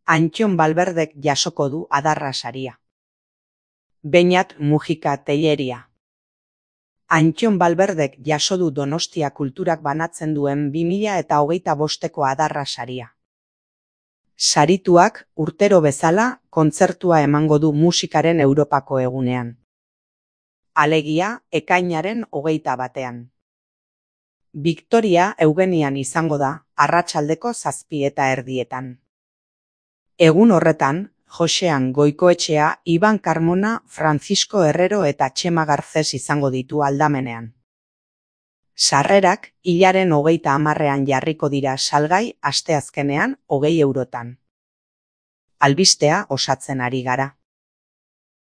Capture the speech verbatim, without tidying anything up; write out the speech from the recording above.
Antxon Balberdek jasoko du Adarra saria. Beñat Mujika Telleria. Antxon Balberdek jaso du Donostia Kulturak banatzen duen bi mila eta hogeita bosteko Adarra saria. Sarituak urtero bezala kontzertua emango du musikaren Europako egunean. Alegia, ekainaren hogeita batean. Victoria Eugenian izango da, arratsaldeko zazpi eta erdietan. Egun horretan, Josean Goikoetxea, Iban Carmona, Francisco Herrero eta Txema Garcés izango ditu aldamenean. Sarrerak hilaren hogeita hamarrean jarriko dira salgai asteazkenean hogei eurotan. Albistea osatzen ari gara.